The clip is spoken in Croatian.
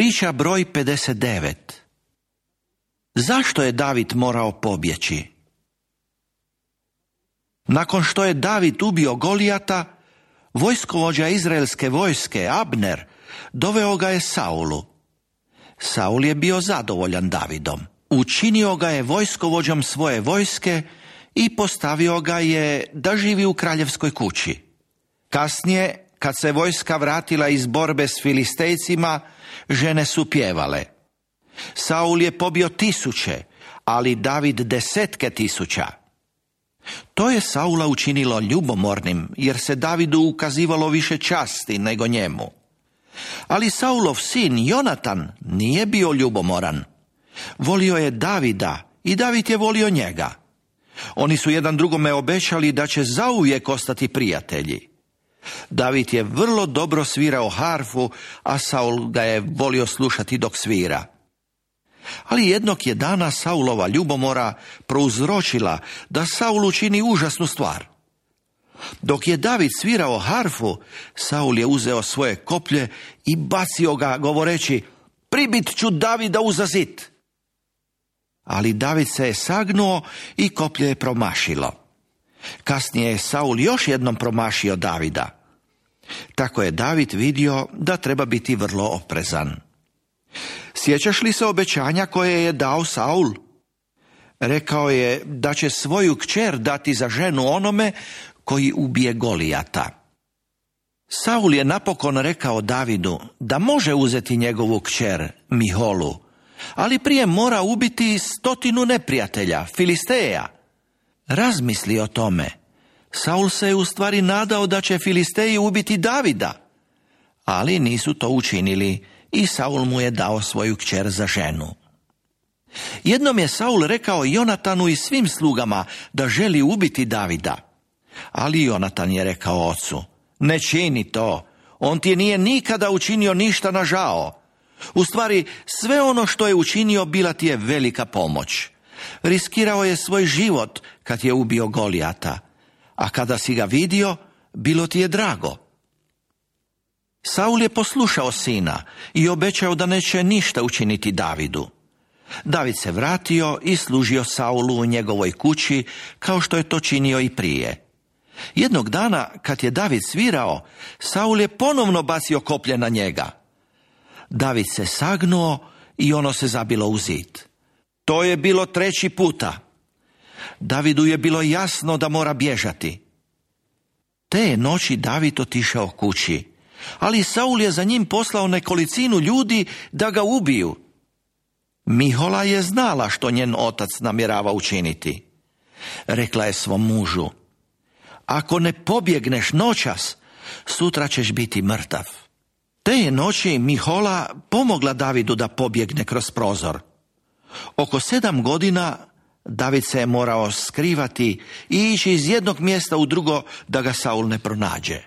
Priča broj 59. Zašto je David morao pobjeći? Nakon što je David ubio Golijata, vojskovođa izraelske vojske, Abner, doveo ga je Saulu. Saul je bio zadovoljan Davidom. Učinio ga je vojskovođom svoje vojske i postavio ga je da živi u kraljevskoj kući. Kasnije, kad se vojska vratila iz borbe s Filistejcima, žene su pjevale. Saul je pobio 1000, ali David 10.000. To je Saula učinilo ljubomornim, jer se Davidu ukazivalo više časti nego njemu. Ali Saulov sin Jonatan nije bio ljubomoran. Volio je Davida i David je volio njega. Oni su jedan drugome obećali da će zauvijek ostati prijatelji. David je vrlo dobro svirao harfu, a Saul ga je volio slušati dok svira. Ali jednog je dana Saulova ljubomora prouzročila da Saul učini užasnu stvar. Dok je David svirao harfu, Saul je uzeo svoje koplje i bacio ga govoreći: "Pribit ću Davida uza zid." Ali David se je sagnuo i koplje je promašilo. Kasnije je Saul još jednom promašio Davida. Tako je David vidio da treba biti vrlo oprezan. Sjećaš li se obećanja koje je dao Saul? Rekao je da će svoju kćer dati za ženu onome koji ubije Golijata. Saul je napokon rekao Davidu da može uzeti njegovu kćer Miholu, ali prije mora ubiti 100 neprijatelja, Filisteja. Razmisli o tome. Saul se je u stvari nadao da će Filisteji ubiti Davida, ali nisu to učinili i Saul mu je dao svoju kćer za ženu. Jednom je Saul rekao Jonatanu i svim slugama da želi ubiti Davida, ali Jonatan je rekao ocu: "Ne čini to, on ti nije nikada učinio ništa na žao. U stvari, sve ono što je učinio bila ti je velika pomoć. Riskirao je svoj život kad je ubio Golijata, a kada si ga vidio, bilo ti je drago." Saul je poslušao sina i obećao da neće ništa učiniti Davidu. David se vratio i služio Saulu u njegovoj kući, kao što je to činio i prije. Jednog dana, kad je David svirao, Saul je ponovno bacio koplje na njega. David se sagnuo i ono se zabilo u zid. To je bilo 3. puta. Davidu je bilo jasno da mora bježati. Te noći David otišao kući, ali Saul je za njim poslao nekolicinu ljudi da ga ubiju. Mihola je znala što njen otac namjerava učiniti. Rekla je svom mužu: "Ako ne pobjegneš noćas, sutra ćeš biti mrtav." Te je noći Mihola pomogla Davidu da pobjegne kroz prozor. Oko 7 godina David se je morao skrivati i ići iz jednog mjesta u drugo da ga Saul ne pronađe.